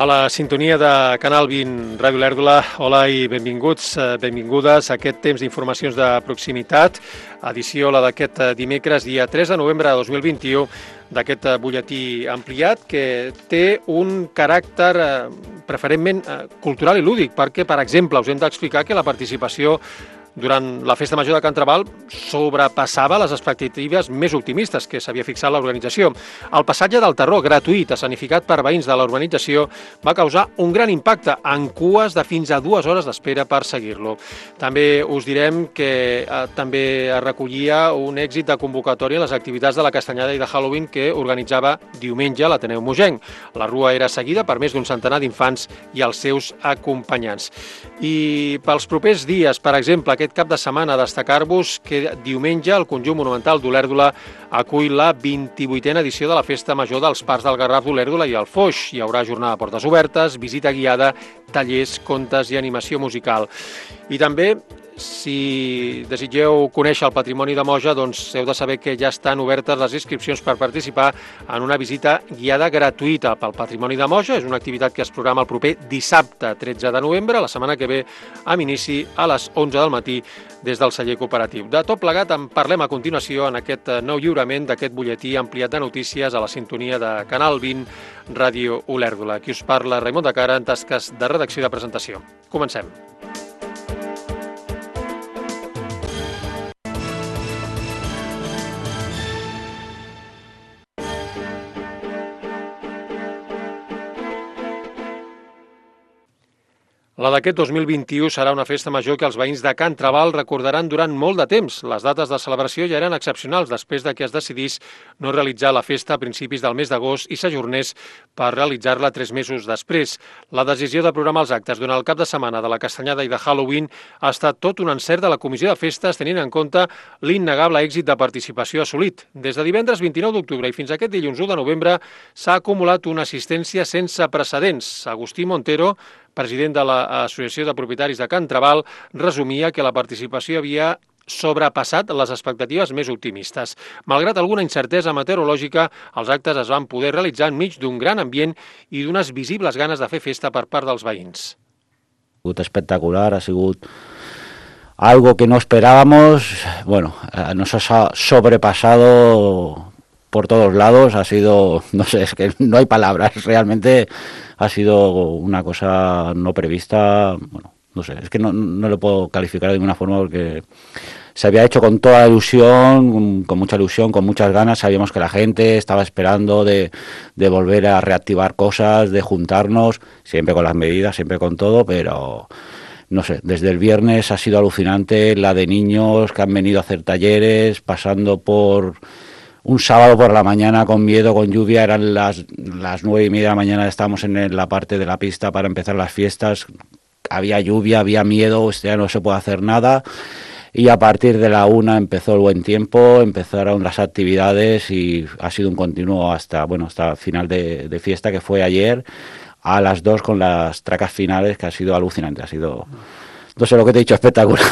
A la sintonia de Canal 20 Ràdio Olèrdola, hola i benvinguts, benvingudes a aquest temps d'informacions de proximitat, edició la d'aquest dimecres, dia 3 de novembre de 2021, d'aquest butlletí ampliat que té un caràcter preferentment cultural i lúdic, perquè, per exemple, us hem d'explicar que la participació durant la Festa Major de Can Trabal sobrepassava les expectatives més optimistes que s'havia fixat l'organització. El passatge del Terror, gratuït, escenificat per veïns de la urbanització, va causar un gran impacte, en cues de fins a 2 hores d'espera per seguir-lo. També us direm que també es recollia un èxit de convocatòria en les activitats de la Castanyada i de Halloween que organitzava diumenge l'Ateneu Mogenc. La rua era seguida per més d'un centenar d'infants i els seus acompanyants. I pels propers dies, per exemple, aquest cap de setmana, destacar-vos que diumenge el Conjunt Monumental d'Olèrdola acull la 28a edició de la Festa Major dels Parcs del Garraf d'Olèrdola i el Foix. Hi haurà jornada de portes obertes, visita guiada, tallers, contes i animació musical. I també, si desitgeu conèixer el patrimoni de Moja, doncs heu de saber que ja estan obertes les inscripcions per participar en una visita guiada gratuïta pel patrimoni de Moja. És una activitat que es programa el proper dissabte 13 de novembre, la setmana que ve, amb inici a les 11 del matí des del celler cooperatiu. De tot plegat en parlem a continuació en aquest nou lliurament d'aquest butlletí ampliat de notícies a la sintonia de Canal 20 Ràdio Olèrdola. Aquí us parla Raimon de Cara en tasques de redacció i de presentació. Comencem. La d'aquest 2021 serà una festa major que els veïns de Can Trabal recordaran durant molt de temps. Les dates de celebració ja eren excepcionals després de que es decidís no realitzar la festa a principis del mes d'agost i s'ajornés per realitzar-la 3 mesos després. La decisió de programar els actes durant el cap de setmana de la Castanyada i de Halloween ha estat tot un encert de la Comissió de Festes tenint en compte l'innegable èxit de participació assolit. Des de divendres 29 d'octubre i fins a aquest dilluns 1 de novembre s'ha acumulat una assistència sense precedents. Agustí Montero, president de l'Associació de Propietaris de Can Trabal, resumia que la participació havia sobrepassat les expectatives més optimistes. Malgrat alguna incertesa meteorològica, els actes es van poder realitzar enmig d'un gran ambient i d'unes visibles ganes de fer festa per part dels veïns. Ha sigut espectacular, ha sigut algo que no esperábamos, bueno, nos ha sobrepasado por todos lados, ha sido, no sé, es que no hay palabras, realmente ha sido una cosa no prevista, bueno, no sé, es que no lo puedo calificar de ninguna forma porque se había hecho con toda ilusión, con mucha ilusión, con muchas ganas, sabíamos que la gente estaba esperando de volver a reactivar cosas, de juntarnos, siempre con las medidas, siempre con todo, pero no sé, desde el viernes ha sido alucinante, la de niños que han venido a hacer talleres, pasando por un sábado por la mañana con miedo, con lluvia, eran las 9:30 de la mañana, estábamos en la parte de la pista para empezar las fiestas, había lluvia, había miedo, ya no se puede hacer nada, y a partir de la 1 empezó el buen tiempo, empezaron las actividades y ha sido un continuo hasta final de fiesta, que fue ayer a las 2 con las tracas finales, que ha sido alucinante, ha sido, no sé lo que te he dicho, espectacular,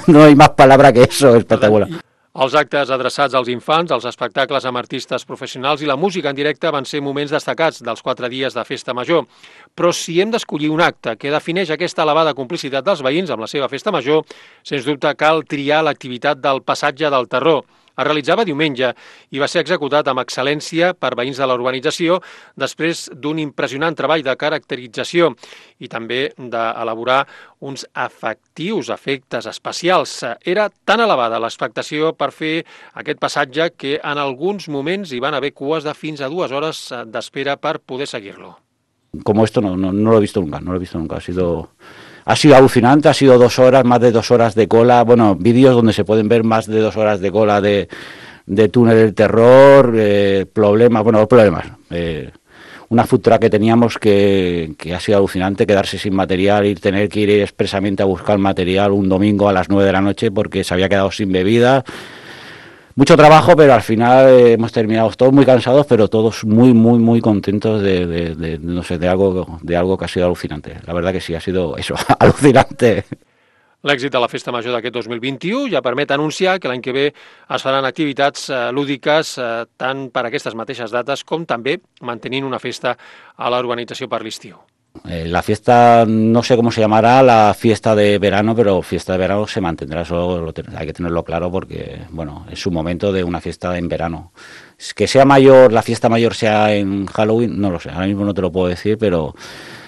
no hay más palabra que eso, espectacular. Els actes adreçats als infants, els espectacles amb artistes professionals i la música en directe van ser moments destacats dels 4 dies de festa major. Però si hem d'escollir un acte que defineix aquesta elevada complicitat dels veïns amb la seva festa major, sens dubte cal triar l'activitat del passatge del Terror. Es realitzava diumenge i va ser executat amb excel·lència per veïns de la urbanització després d'un impressionant treball de caracterització i també d'elaborar uns efectius efectes especials. Era tan elevada l'expectació per fer aquest passatge que en alguns moments hi van haver cues de fins a 2 hores d'espera per poder seguir-lo. Como esto no lo he visto nunca, ha sido alucinante, ha sido 2 horas, más de 2 horas de cola, bueno, vídeos donde se pueden ver más de 2 horas de cola de túnel del terror, problemas, una food truck que teníamos que ha sido alucinante, quedarse sin material y tener que ir expresamente a buscar material un domingo a las 9 de la noche porque se había quedado sin bebida. Mucho trabajo, pero al final hemos terminado todos muy cansados, pero todos muy contentos de algo que ha sido alucinante. La verdad que sí, ha sido eso, alucinante. L'èxit de la Festa Major d'aquest 2021 ja permet anunciar que l'any que ve es faran activitats lúdiques tant per aquestes mateixes dates com també mantenint una festa a la urbanització per l'estiu. La fiesta, no sé cómo se llamará la fiesta de verano, pero fiesta de verano se mantendrá, eso hay que tenerlo claro porque, bueno, es su momento de una fiesta en verano. Que sea mayor, la fiesta mayor sea en Halloween, no lo sé, ahora mismo no te lo puedo decir, pero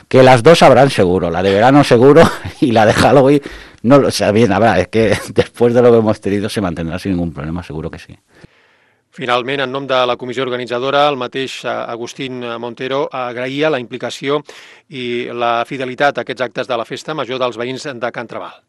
que las dos habrán seguro, la de verano seguro y la de Halloween, no lo sé, bien, habrá, es que después de lo que hemos tenido se mantendrá sin ningún problema, seguro que sí. Finalment, en nom de la comissió organitzadora, el mateix Agustín Montero agraïa la implicació i la fidelitat a aquests actes de la festa major dels veïns de Can Trabal.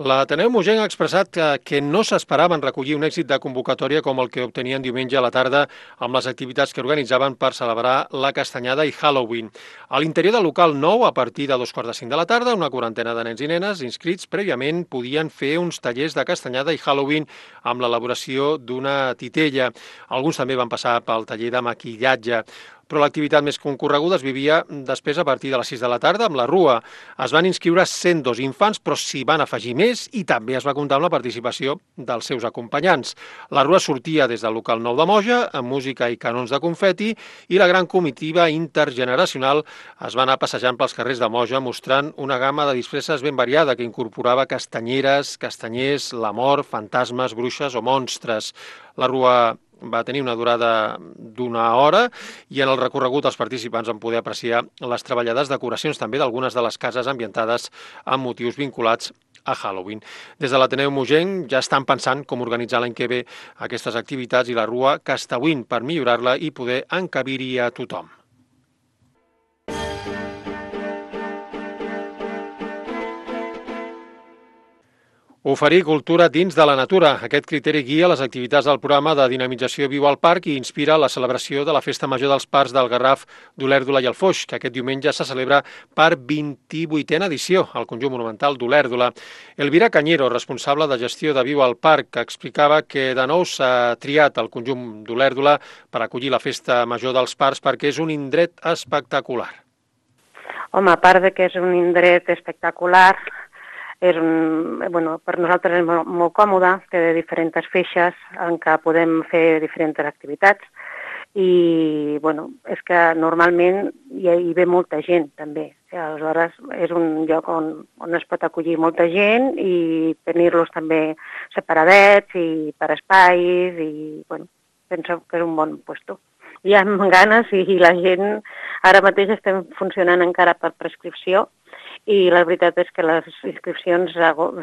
L'Ateneu Mogenc ha expressat que no s'esperaven recollir un èxit de convocatòria com el que obtenien diumenge a la tarda amb les activitats que organitzaven per celebrar la Castanyada i Halloween. A l'interior del local nou, a partir de 2:45 de la tarda, una quarantena de nens i nenes inscrits prèviament podien fer uns tallers de Castanyada i Halloween amb l'elaboració d'una titella. Alguns també van passar pel taller de maquillatge. Però l'activitat més concorreguda es vivia després a partir de les 6 de la tarda amb la Rua. Es van inscriure 102 infants, però s'hi van afegir més i també es va comptar amb la participació dels seus acompanyants. La Rua sortia des del local nou de Moja, amb música i canons de confeti, i la gran comitiva intergeneracional es va anar passejant pels carrers de Moja mostrant una gamma de disfresses ben variada que incorporava castanyeres, castanyers, la mort, fantasmes, bruixes o monstres. La Rua va tenir una durada d'una hora i en el recorregut els participants van poder apreciar les treballades decoracions també d'algunes de les cases ambientades amb motius vinculats a Halloween. Des de l'Ateneu Mogenc ja estan pensant com organitzar l'any que ve aquestes activitats i la Rua Castauín per millorar-la i poder encabir-hi a tothom. Oferir cultura dins de la natura. Aquest criteri guia les activitats del programa de dinamització Viu al Parc i inspira la celebració de la Festa Major dels Parcs del Garraf, d'Olèrdola i el Foix, que aquest diumenge se celebra per 28a edició al conjunt monumental d'Olèrdola. Elvira Cañero, responsable de gestió de Viu al Parc, explicava que de nou s'ha triat el conjunt d'Olèrdola per acollir la Festa Major dels Parcs perquè és un indret espectacular. Home, a part de que és un indret espectacular, per nosaltres és molt còmode, té diferents feixes en què podem fer diferents activitats i és que normalment hi ve molta gent també. Aleshores és un lloc on es pot acollir molta gent i tenir-los també separadets i per espais i penso que és un bon lloc. Hi ha ganes i la gent, ara mateix estem funcionant encara per prescripció i la veritat és que les inscripcions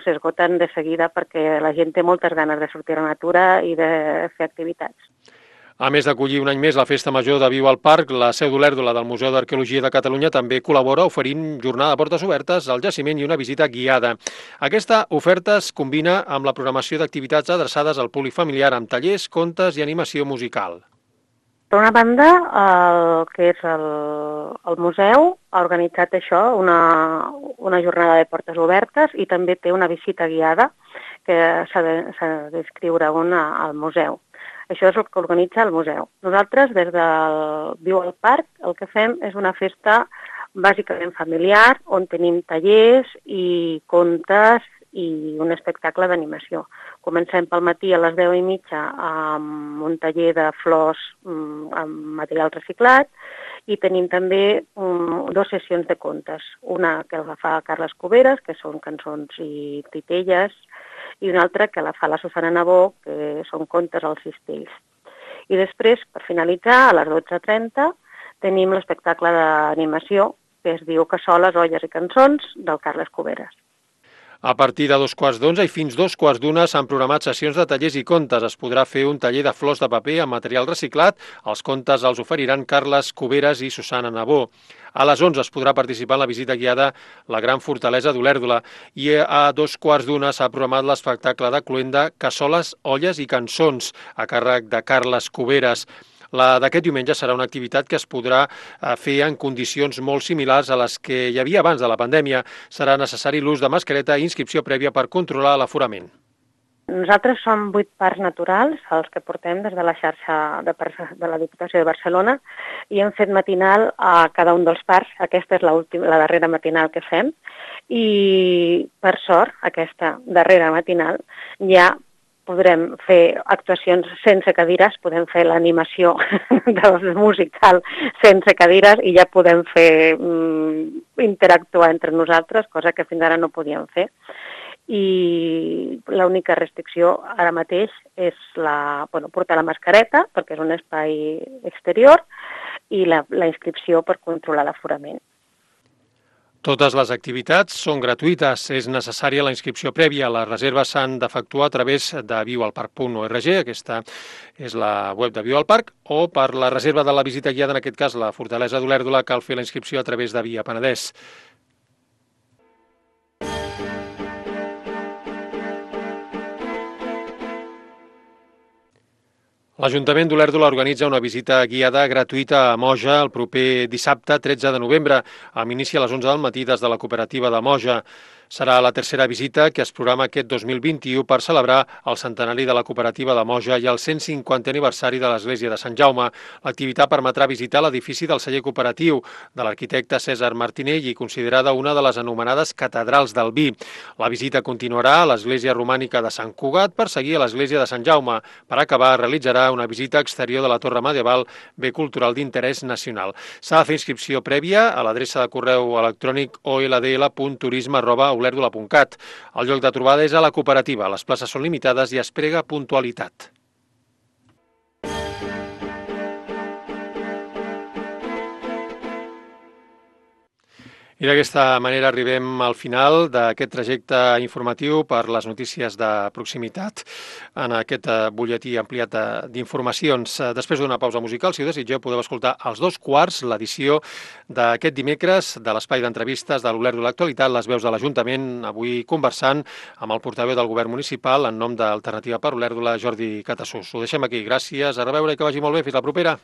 s'esgoten de seguida perquè la gent té moltes ganes de sortir a la natura i de fer activitats. A més d'acollir un any més la Festa Major de Viu al Parc, la seu d'Olèrdola del Museu d'Arqueologia de Catalunya també col·labora oferint jornada de portes obertes al jaciment i una visita guiada. Aquesta oferta es combina amb la programació d'activitats adreçades al públic familiar amb tallers, contes i animació musical. Per una banda, el que és el museu ha organitzat això, una jornada de portes obertes i també té una visita guiada que s'ha d'inscriure al museu. Això és el que organitza el museu. Nosaltres, des del Viu al Parc, el que fem és una festa bàsicament familiar on tenim tallers i contes i un espectacle d'animació. Comencem pel matí a les 10:30 amb un taller de flors amb material reciclat i tenim també 2 sessions de contes. Una que la fa Carles Cuberes, que són cançons i titelles, i una altra que la fa la Susana Nabó, que són contes als cistells. I després, per finalitzar, a les 12:30, tenim l'espectacle d'animació que es diu Cassoles, olles i cançons, del Carles Cuberes. A partir de 11:15 i fins 11:15 s'han programat sessions de tallers i contes. Es podrà fer un taller de flors de paper amb material reciclat. Els contes els oferiran Carles Cuberes i Susana Nabó. A les 11 es podrà participar en la visita guiada la Gran Fortalesa d'Olèrdola i a 2:15 s'ha programat l'espectacle de cloenda Cassoles, olles i cançons a càrrec de Carles Cuberes. La d'aquest diumenge serà una activitat que es podrà fer en condicions molt similars a les que hi havia abans de la pandèmia. Serà necessari l'ús de mascareta i inscripció prèvia per controlar l'aforament. Nosaltres som 8 parcs naturals, els que portem des de la xarxa de la Diputació de Barcelona, i hem fet matinal a cada un dels parcs. Aquesta és la darrera matinal que fem, i per sort, aquesta darrera matinal ja podrem fer actuacions sense cadires, podem fer l'animació del musical sense cadires i ja podem fer interactuar entre nosaltres, cosa que fins ara no podíem fer. I l'única restricció ara mateix és portar la mascareta, perquè és un espai exterior, i la inscripció per controlar l'aforament. Totes les activitats són gratuïtes. És necessària la inscripció prèvia. Les reserves s'han d'efectuar a través de viualparc.org, aquesta és la web de Viu al Parc, o per la reserva de la visita guiada, en aquest cas la Fortalesa d'Olèrdola, cal fer la inscripció a través de Via Penedès. L'Ajuntament d'Olèrdola organitza una visita guiada gratuïta a Moja el proper dissabte 13 de novembre, amb inici a les 11 del matí des de la cooperativa de Moja. Serà la tercera visita que es programa aquest 2021 per celebrar el centenari de la cooperativa de Moja i el 150è aniversari de l'Església de Sant Jaume. L'activitat permetrà visitar l'edifici del celler cooperatiu de l'arquitecte César Martinell i considerada una de les anomenades catedrals del vi. La visita continuarà a l'Església romànica de Sant Cugat per seguir a l'Església de Sant Jaume. Per acabar, realitzarà una visita exterior de la Torre Medieval, bé cultural d'interès nacional. S'ha de fer inscripció prèvia a l'adreça de correu electrònic oldl.turisme@olèrdola.cat. El lloc de trobada és a la cooperativa. Les places són limitades i es prega puntualitat. I d'aquesta manera arribem al final d'aquest trajecte informatiu per les notícies de proximitat en aquest butlletí ampliat d'informacions. Després d'una pausa musical, si ho desitgeu, podeu escoltar als 2:15 l'edició d'aquest dimecres de l'espai d'entrevistes de l'Olèrdola Actualitat, les veus de l'Ajuntament, avui conversant amb el portaveu del govern municipal en nom d'Alternativa per Olèrdola, Jordi Catassús. Ho deixem aquí. Gràcies, a reveure i que vagi molt bé. Fins la propera.